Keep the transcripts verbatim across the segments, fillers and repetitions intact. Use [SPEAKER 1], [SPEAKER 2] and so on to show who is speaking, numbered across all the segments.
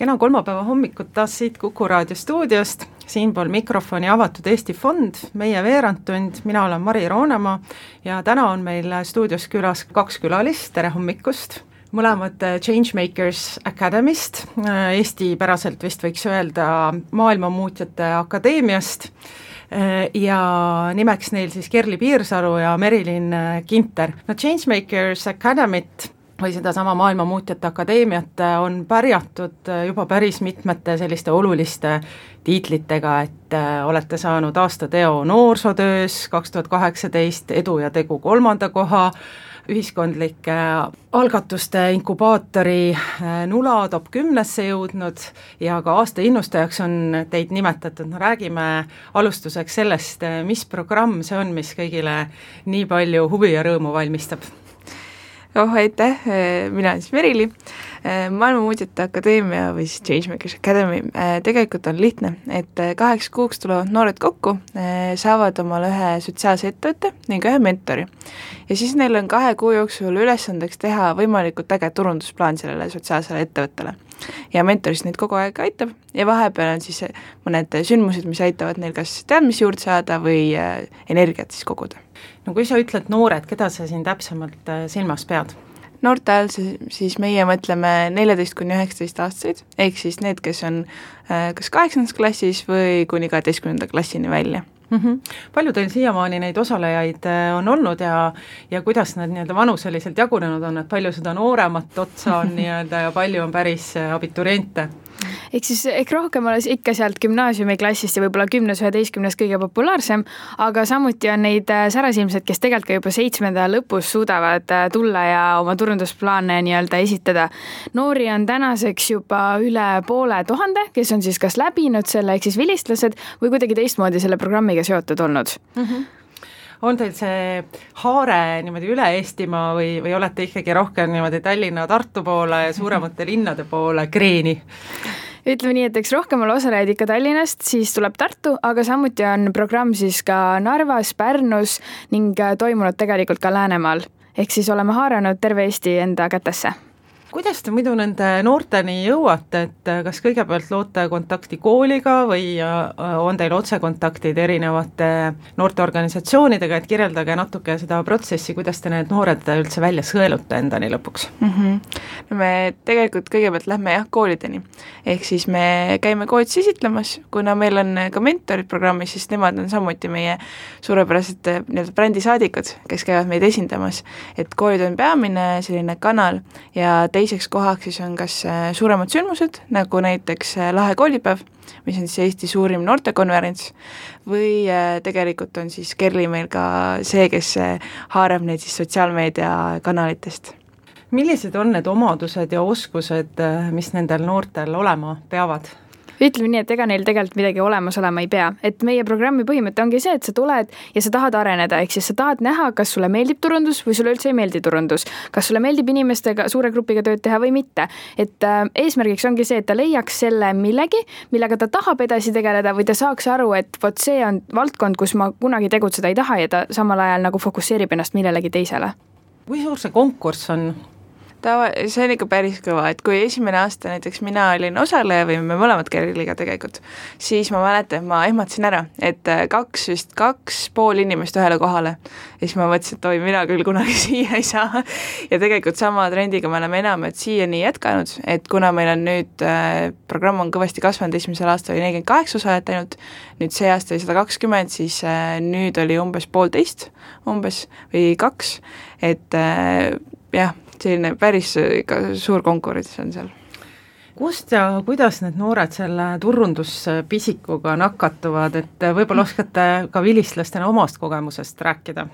[SPEAKER 1] Kena kolmapäeva hommikut taas siit Kuku raadio stuudiost, siinpool mikrofoni avatud Eesti Fond, meie veerandtund, mina olen Mari Roonemaa ja täna on meil stuudios külas kaks külalist, tere hommikust, mõlemad Changemakers Academy'st, Eesti päraselt vist võiks öelda maailmamuutjate akadeemiast ja nimeks neil siis Kerli Piirsalu ja Merilin Kinter. No Changemakers Academy't või seda sama maailmamuutjate akadeemiat on pärjatud juba päris mitmete selliste oluliste tiitlitega, et olete saanud aastateo noorsootöös kaks tuhat kaheksateist, edu ja tegu kolmanda koha, ühiskondlike algatuste inkubaatori Nula top kümnesse jõudnud ja ka aasta innustajaks on teid nimetatud. No räägime alustuseks sellest, mis programm see on, mis kõigile nii palju huvi ja rõõmu valmistab.
[SPEAKER 2] Oh, aitäh, mina olen siis Merili, Maailmamuutjate Akadeemia või siis Changemakers Academy. Tegelikult on lihtne, et kaheks kuuks tulevad noored kokku, saavad omale ühe sotsiaalse ettevõtte ning ühe mentori. Ja siis neil on kahe kuu jooksul ülesandeks teha võimalikult äge turundusplaan sellele sotsiaalsele ettevõttele. Ja mentorist neid kogu aeg aitab ja vahepeal on siis mõned sündmused, mis aitavad neil kas teadmisi juurde saada või energiat siis koguda.
[SPEAKER 1] No kui sa ütled noored, keda sa siin täpsemalt silmas pead?
[SPEAKER 2] Noorte ajal siis meie mõtleme neljateist kuni üheksateist aastaseid, ehk siis need, kes on kas kaheksandas klassis või kuni kaheteistkümnenda klassini välja.
[SPEAKER 1] Mm-hmm. Palju teil siiamaani neid osalejaid on olnud ja, ja kuidas nad nii-öelda vanuseliselt jagunenud on, et palju seda nooremat otsa on nii-öelda ja palju on päris abituriente?
[SPEAKER 3] Ehk siis ehk rohkem oleks ikka sealt gümnaasiumiklassist ja võib-olla kümnes üheteistkümnes kõige populaarsem, aga samuti on neid särasilmsed, kes tegelikult ka juba seitsmenda lõpus suudavad tulla ja oma turundusplaane nii-öelda esitada. Noori on tänaseks juba üle poole tuhande, kes on siis kas läbinud selle, ehk siis vilistlased või kuidagi teistmoodi selle programmiga seotud olnud.
[SPEAKER 1] Mm-hmm. On teil see haare niimoodi üle Eestimaa või, või olete ikkagi rohkem niimoodi Tallinna, Tartu poole ja suuremate linnade poole kreeni?
[SPEAKER 3] Ütleme nii, et eks rohkem ole osalejaid ikka Tallinnast, siis tuleb Tartu, aga samuti on programm siis ka Narvas, Pärnus ning toimunud tegelikult ka Läänemaal. Ehk siis oleme haaranud terve Eesti enda kätesse.
[SPEAKER 1] Kuidas te muidu nende noorteni jõuate, et kas kõigepealt loote kontakti kooliga või on teil otsekontaktid erinevate noorteorganisatsioonidega, et kirjeldage natuke seda protsessi, kuidas te need noored üldse välja sõelute endani lõpuks?
[SPEAKER 2] Mm-hmm. No me tegelikult kõigepealt lähme jah koolideni, ehk siis me käime koolid esitlemas, kuna meil on ka mentorid programmis, siis nemad on samuti meie suurepärased nii-öelda brändisaadikud, kes käivad meid esindamas, et koolid on peamine selline kanal ja teiseks kohaks siis on kas suuremad sündmused, nagu näiteks Lahe koolipäev, mis on siis Eesti suurim noortekonverents, või tegelikult on siis Kerli meil ka see, kes haarab neid siis sotsiaalmeedia kanalitest.
[SPEAKER 1] Millised on need omadused ja oskused, mis nendel noortel olema peavad?
[SPEAKER 3] Ütleme nii, et ega neil tegelikult midagi olemas olema ei pea. Et meie programmi põhimõte ongi see, et sa tuled ja sa tahad areneda, ehk siis sa tahad näha, kas sulle meeldib turundus või sulle üldse ei meeldi turundus. Kas sulle meeldib inimestega suure grupiga tööd teha või mitte. Et äh, eesmärgiks ongi see, et ta leiaks selle millegi, millega ta tahab edasi tegeleda või ta saaks aru, et vot see on valdkond, kus ma kunagi tegutseda ei taha ja ta samal ajal nagu fokusseerib ennast millelegi teisele.
[SPEAKER 1] Kui suur see konkurss on?
[SPEAKER 2] Ta, see on ikka päris kõva, et kui esimene aasta näiteks mina olin osaleja või me mõlemad Kerliga tegelikult, siis ma mäletan, ma ehmatasin ära, et kaks, vist kaks pool inimest ühele kohale ja siis ma mõtlesin, et oi, mina küll kunagi siia ei saa ja tegelikult sama trendiga me oleme enam, et siiani jätkanud, et kuna meil on nüüd äh, programm on kõvasti kasvanud, esimesel aastal oli nelikümmend kaheksa osalejat ainult, nüüd see aasta oli sada kakskümmend, siis äh, nüüd oli umbes poolteist umbes või kaks, et äh, jah, selline päris suur konkurents on seal.
[SPEAKER 1] Kust ja kuidas need noored selle turunduspisikuga nakatuvad, et võib-olla oskate ka vilistlastena omast kogemusest rääkida?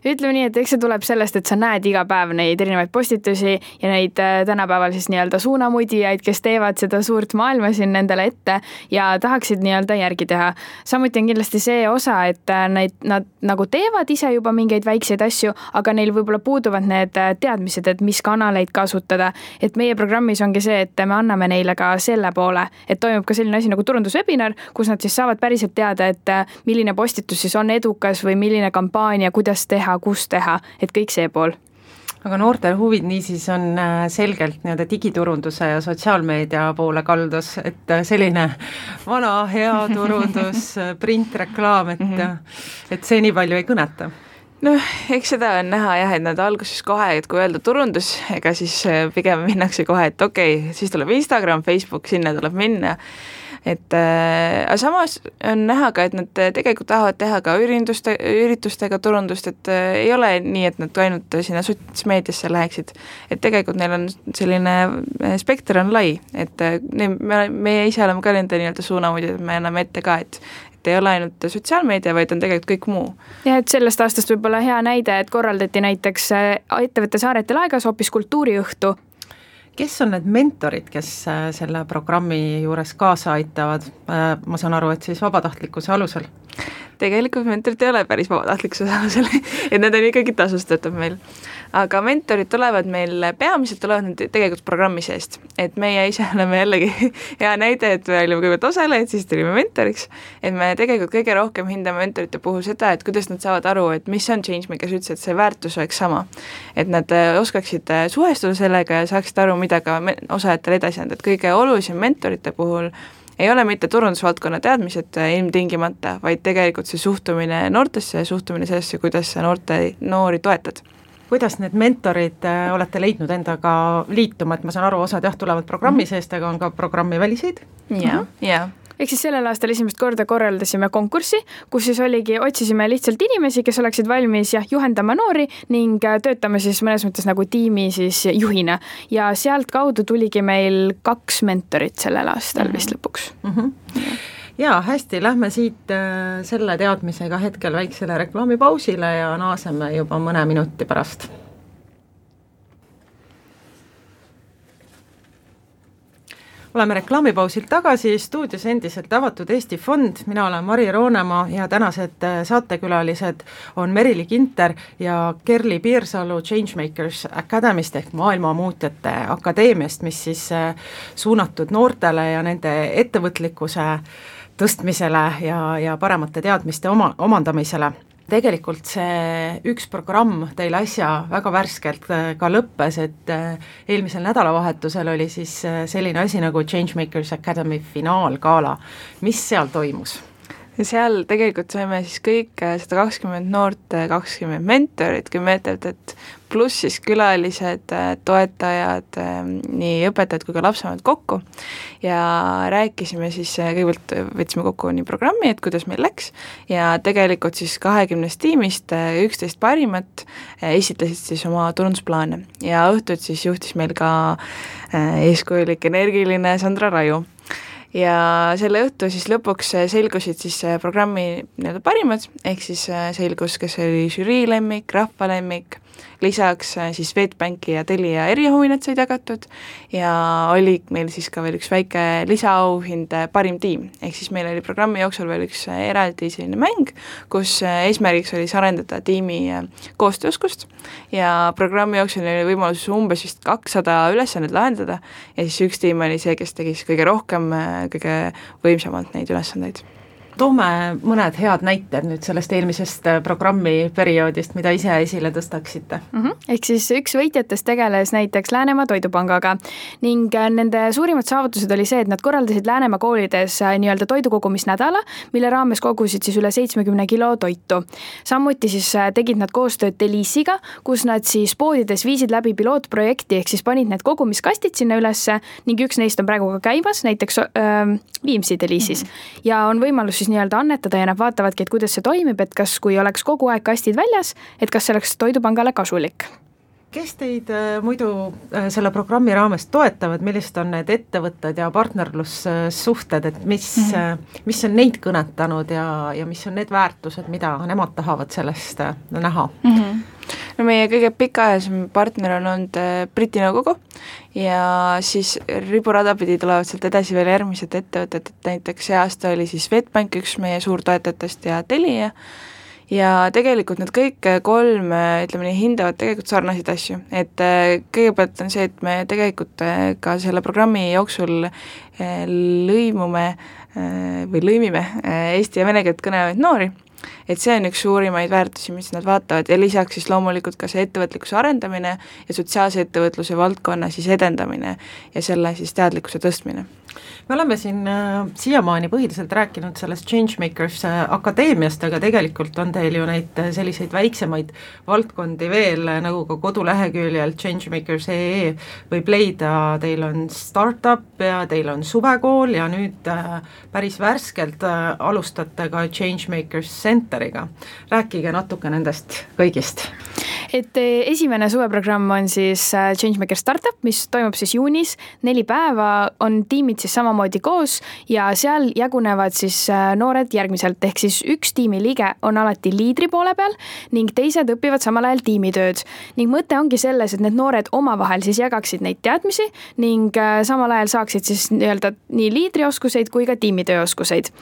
[SPEAKER 3] Ütleme nii, et eks see tuleb sellest, et sa näed iga päev neid erinevaid postitusi ja neid tänapäeval siis nii-öelda suunamudijaid, kes teevad seda suurt maailma siin nendele ette ja tahaksid nii-öelda järgi teha. Samuti on kindlasti see osa, et neid, nad nagu teevad ise juba mingeid väikseid asju, aga neil võib-olla puuduvad need teadmised, et mis kanaleid kasutada. Et meie programmis ongi see, et me anname neile ka selle poole, et toimub ka selline asi nagu turunduswebinar, kus nad siis saavad päriselt teada, et milline postitus siis on edukas või milline kampaania, kuidas teha, kus teha, et kõik see pool.
[SPEAKER 1] aga noortel huvid niisiis on selgelt nii-öelda digiturunduse ja sotsiaalmeedia poole kaldus, et selline vana hea turundus, printreklaam, et, et see nii palju ei kõneta.
[SPEAKER 2] Noh, eks seda on näha jah, et nad alguses kohe, et kui öelda turundus, ega siis pigem minnakse kohe, et okei, okay, siis tuleb Instagram, Facebook, sinna tuleb minna. Et äh, aga samas on näha ka, et nad tegelikult tahavad teha ka ürituste, üritustega turundust, et äh, ei ole nii, et nad ainult sinna sotsmeediasse läheksid, et tegelikult neil on selline spekter on lai, et äh, me, meie ise oleme ka nende nii-öelda suunamudid, et me anname ette ka, et et ei ole ainult sotsiaalmeedia, vaid on tegelikult kõik muu.
[SPEAKER 3] Ja et sellest aastast võib olla hea näide, et korraldati näiteks ettevõtte Saarete laegas hoopis kultuuriõhtu.
[SPEAKER 1] Kes on need mentorid, kes selle programmi juures kaasa aitavad? Ma saan aru, et siis vabatahtlikkuse alusel?
[SPEAKER 2] Tegelikult mentorid ei ole päris vabatahtlikkuse alusel, et need on ikkagi tasustatud meil. Aga mentorid tulevad meil, peamiselt tulevad need tegelikult programmi seest, et meie ise oleme jällegi hea näide, et me olime kõigepealt osalejad, siis tulime mentoriks, et me tegelikult kõige rohkem hindame mentorite puhul seda, et kuidas nad saavad aru, et mis on changemakers üldse, et see väärtus oleks sama, et nad oskaksid suhestuda sellega ja saaksid aru, mida ka osajatele edasi anda, et kõige olulisem mentorite puhul ei ole mitte turundusvaldkonna teadmised ilmtingimata, vaid tegelikult see suhtumine noortesse ja suhtumine sellesse, kuidas sa noorte, noori toetad.
[SPEAKER 1] Kuidas need mentorid olete leidnud endaga liituma, et ma saan aru, osad jah tulevad programmi seest, aga on ka programmi väliseid?
[SPEAKER 2] Jaa, jaa.
[SPEAKER 3] Ehk siis sellel aastal esimest korda korraldasime konkurssi, kus siis oligi, otsisime lihtsalt inimesi, kes oleksid valmis jah, juhendama noori ning töötame siis mõnes mõttes nagu tiimi siis juhina. Ja sealt kaudu tuligi meil kaks mentorit sellel aastal mm-hmm. vist lõpuks.
[SPEAKER 1] Mm-hmm. Jaa, hästi, lähme siit selle teadmisega hetkel väiksele reklaamipausile ja naaseme juba mõne minuti pärast. Oleme reklaamipausilt tagasi, stuudios endiselt avatud Eesti Fond, mina olen Mari Roonemaa ja tänased saatekülalised on Merili Kinter ja Kerli Piirsalu Changemakers Academy'st ehk maailmamuutjate akadeemiast, mis siis suunatud noortele ja nende ettevõtlikkuse tõstmisele ja, ja paremate teadmiste oma, omandamisele. Tegelikult see üks programm teil äsja väga värskelt ka lõppes, et eelmisel nädalavahetusel oli siis selline asi nagu Changemakers Academy finaalgala. Mis seal toimus?
[SPEAKER 2] Seal tegelikult saime siis kõik sada kakskümmend noort, kakskümmend mentorit, kümme ettevõtet, pluss siis külalised, toetajad, nii õpetajad kui ka lapsevanemad kokku ja rääkisime siis, kõigepealt võtsime kokku nii programmi, et kuidas meil läks ja tegelikult siis kahekümnest tiimist üksteist parimat esitlesid siis oma turundusplaane ja õhtut siis juhtis meil ka eeskujulik energiline Sandra Raju. Ja selle õhtu siis lõpuks selgusid siis programmi nii-öelda parimad, ehk siis selgus, kes oli žürii lemmik, rahva lemmik, lisaks siis Swedbanki ja Telia erihuvinad said jagatud ja oli meil siis ka veel üks väike lisaauhind parim tiim, ehk siis meil oli programmi jooksul veel üks eraldi selline mäng, kus eesmärgiks oli arendada tiimi koostööoskust ja programmi jooksul oli võimalus umbes vist kakssada ülesannet lahendada ja siis üks tiim oli see, kes tegi siis kõige rohkem, kõige võimsamalt neid ülesandeid.
[SPEAKER 1] Toome mõned head näited nüüd sellest eelmisest programmi perioodist, mida ise esile tõstaksite.
[SPEAKER 3] Mm-hmm. Ehk siis üks võitjatest tegeles näiteks Läänemaa Toidupangaga ning nende suurimad saavutused oli see, et nad korraldasid Läänemaa koolides nii-öelda toidukogumisnädala, mille raames kogusid siis üle seitsmekümne kilo toitu. Samuti siis tegid nad koostööd Delisiga, kus nad siis poodides viisid läbi pilootprojekti, ehk siis panid need kogumiskastid sinna ülesse ning üks neist on praegu ka käibas, näiteks äh, Viimsi Delisis mm-hmm. ja on võimalus siis nii-öelda annetada ja nad vaatavadki, et kuidas see toimib, et kas kui oleks kogu aeg kastid väljas, et kas see oleks Toidupangale kasulik.
[SPEAKER 1] Kes teid äh, muidu äh, selle programmi raames toetavad, millised on need ettevõtted ja partnerlussuhted, et mis, mm-hmm. äh, mis on neid kõnetanud ja, ja mis on need väärtused, mida nemad tahavad sellest äh, näha?
[SPEAKER 2] Mm-hmm. No meie kõige pikaajalisem partner on olnud Briti nõukogu ja siis riburada pidi tulevad sealt edasi veel järgmised ettevõtted, et näiteks see aasta oli siis Swedbank, üks meie suurtoetajatest ja Telia ja tegelikult need kõik kolm, ütleme nii, hindavad tegelikult sarnaseid asju, et kõigepealt on see, et me tegelikult ka selle programmi jooksul lõimume või lõimime eesti ja vene keelt kõnelevaid noori et see on üks suurimaid väärtusi, mis nad vaatavad ja lisaks siis loomulikult ka see ettevõtlikkuse arendamine ja sotsiaalse ettevõtluse valdkonna siis edendamine ja selle siis teadlikkuse tõstmine.
[SPEAKER 1] Me oleme siin äh, siiamaani põhiliselt rääkinud sellest Changemakers äh, akadeemiast, aga tegelikult on teil ju neid äh, selliseid väiksemaid valdkondi veel, äh, nagu ka koduleheküljel changemakers punkt ee võib leida, teil on startup ja teil on suvekool ja nüüd äh, päris värskelt äh, alustate ka Changemakers Centeriga. Rääkige natuke nendest kõigist.
[SPEAKER 3] Et esimene suveprogramm on siis Changemaker Startup, mis toimub siis juunis, neli päeva on tiimid siis samamoodi koos ja seal jagunevad siis noored järgmiselt, ehk siis üks tiimiliige on alati liidri poole peal ning teised õpivad samal ajal tiimitööd. Ning mõte ongi selles, et need noored omavahel siis jagaksid neid teadmisi ning samal ajal saaksid siis nii-öelda nii liidrioskuseid kui ka tiimitööoskuseid.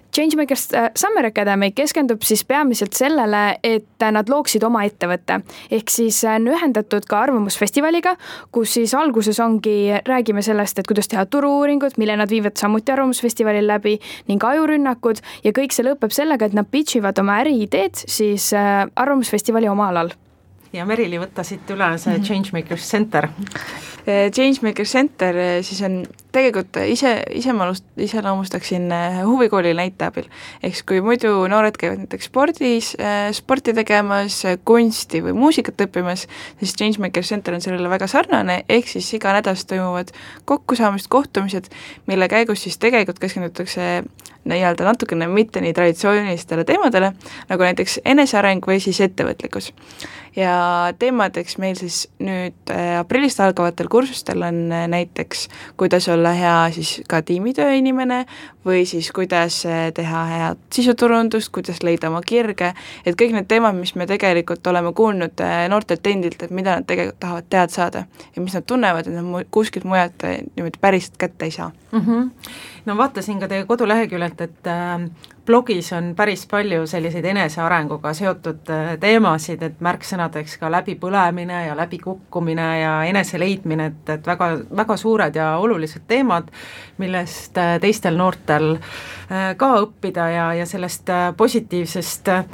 [SPEAKER 3] Changemakers Summer Academy keskendub siis peamiselt sellele, et nad looksid oma ettevõtte. Ehk siis on ühendatud ka arvamusfestivaliga, kus siis alguses ongi, räägime sellest, et kuidas teha turu-uuringut, mille nad viivad samuti arvamusfestivalil läbi ning ajurünnakud ja kõik see lõpeb sellega, et nad pitchivad oma äriideed siis arvamusfestivali oma alal.
[SPEAKER 1] Ja Merili, võtta siit üle see mm-hmm. Changemakers Center.
[SPEAKER 2] Changemakers Center siis on tegelikult ise, ise ma iseloomustaksin huvikooli näite abil. Ehk kui muidu noored käivad näiteks spordis, sporti tegemas, kunsti või muusikat õppimas, siis Changemakers Center on sellele väga sarnane, ehk siis iga nädalast toimuvad kokkusaamist, kohtumised, mille käigus siis tegelikult keskendutakse nii-öelda natukene mitte nii traditsioonilistele teemadele, nagu näiteks eneseareng või siis ettevõtlikkus. Ja teemadeks meil siis nüüd aprillist algavatel kursustel on näiteks, kuidas olla hea siis ka tiimitöö inimene või siis kuidas teha head sisuturundust, kuidas leida oma kirge, et kõik need teemad, mis me tegelikult oleme kuulnud noortelt endilt, et mida nad tegelikult tahavad teada saada ja mis nad tunnevad, et nad kuskilt mujalt niimoodi päriselt kätte ei saa.
[SPEAKER 1] Mm-hmm. No vaatasin ka teie koduleheküljelt, et äh, blogis on päris palju selliseid enesearenguga seotud äh, teemasid, et märksõnadeks ka läbipõlemine ja läbikukkumine ja eneseleidmine, et, et väga, väga suured ja olulised teemad, millest äh, teistel noortel äh, ka õppida ja, ja sellest äh, positiivsest äh,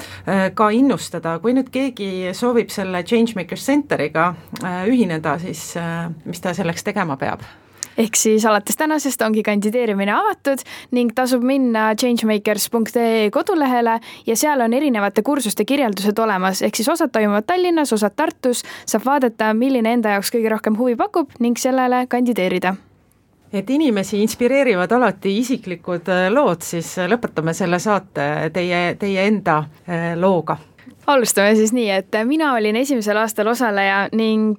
[SPEAKER 1] ka innustada. Kui nüüd keegi soovib selle Changemakers Centeriga äh, ühineda, siis äh, mis ta selleks tegema peab?
[SPEAKER 3] Ehk siis alates tänasest ongi kandideerimine avatud ning tasub minna changemakers punkt ee kodulehele ja seal on erinevate kursuste kirjeldused olemas, ehk siis osad toimuvad Tallinnas, osad Tartus, saab vaadata, milline enda jaoks kõige rohkem huvi pakub ning sellele kandideerida.
[SPEAKER 1] Et inimesi inspireerivad alati isiklikud lood, siis lõpetame selle saate teie, teie enda looga.
[SPEAKER 3] Alustame siis nii, et mina olin esimesel aastal osaleja ning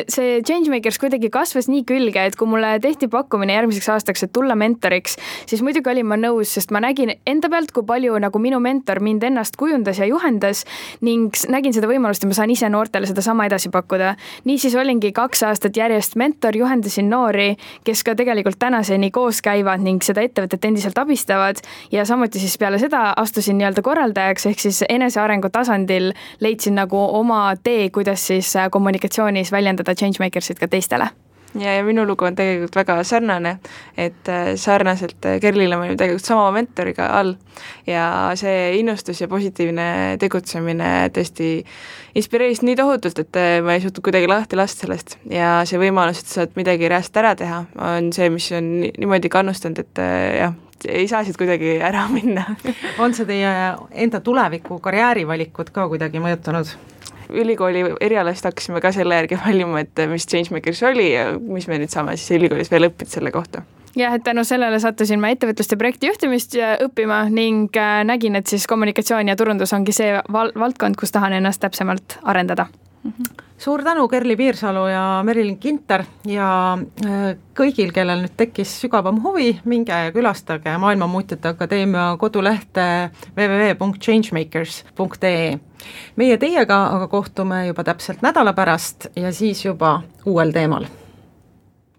[SPEAKER 3] see Changemakers kuidagi kasvas nii külge, et kui mulle tehti pakkumine järgmiseks aastaks, et tulla mentoriks, siis muidugi olin ma nõus, sest ma nägin enda pealt, kui palju nagu minu mentor mind ennast kujundas ja juhendas ning nägin seda võimalust, et ma saan ise noortele seda sama edasi pakkuda. Niisiis olingi kaks aastat järjest mentor, juhendasin noori, kes ka tegelikult tänaseni koos käivad ning seda ettevõtet endiselt abistavad ja samuti siis peale seda astusin nii-öelda korraldajaks, ehk siis enesearengu tasand leidsin nagu oma tee, kuidas siis kommunikatsioonis väljendada Changemakersit ka teistele.
[SPEAKER 2] Ja, ja minu lugu on tegelikult väga sarnane, et sarnaselt Kerlile ma olin tegelikult sama mentoriga all ja see innustus ja positiivne tegutsemine tõesti inspireeris nii tohutult, et ma ei suutnud kuidagi lahti lasta sellest ja see võimalus, et saad midagi reast ära teha, on see, mis on niimoodi kannustanud, et jah, ei saa siit kuidagi ära minna.
[SPEAKER 1] On see teie enda tuleviku karjäärivalikud ka kuidagi mõjutanud?
[SPEAKER 2] Ülikooli erialast hakkasime ka selle järgi valima, et mis Changemakers oli ja mis me nüüd saame siis ülikoolis veel õppida selle kohta.
[SPEAKER 3] Jah, et tänu sellele sattusin ma ettevõtluste projekti juhtimist õppima ning nägin, et siis kommunikatsioon ja turundus ongi see val- valdkond, kus tahan ennast täpsemalt arendada.
[SPEAKER 1] Mm-hmm. Suur tänu, Kerli Piirsalu ja Merilin Kinter ja kõigil, kellel nüüd tekkis sügavam huvi, minge ja külastage Maailmamuutjate Akadeemia kodulehte double-u double-u double-u punkt changemakers punkt ee. Meie teiega aga kohtume juba täpselt nädala pärast ja siis juba uuel teemal.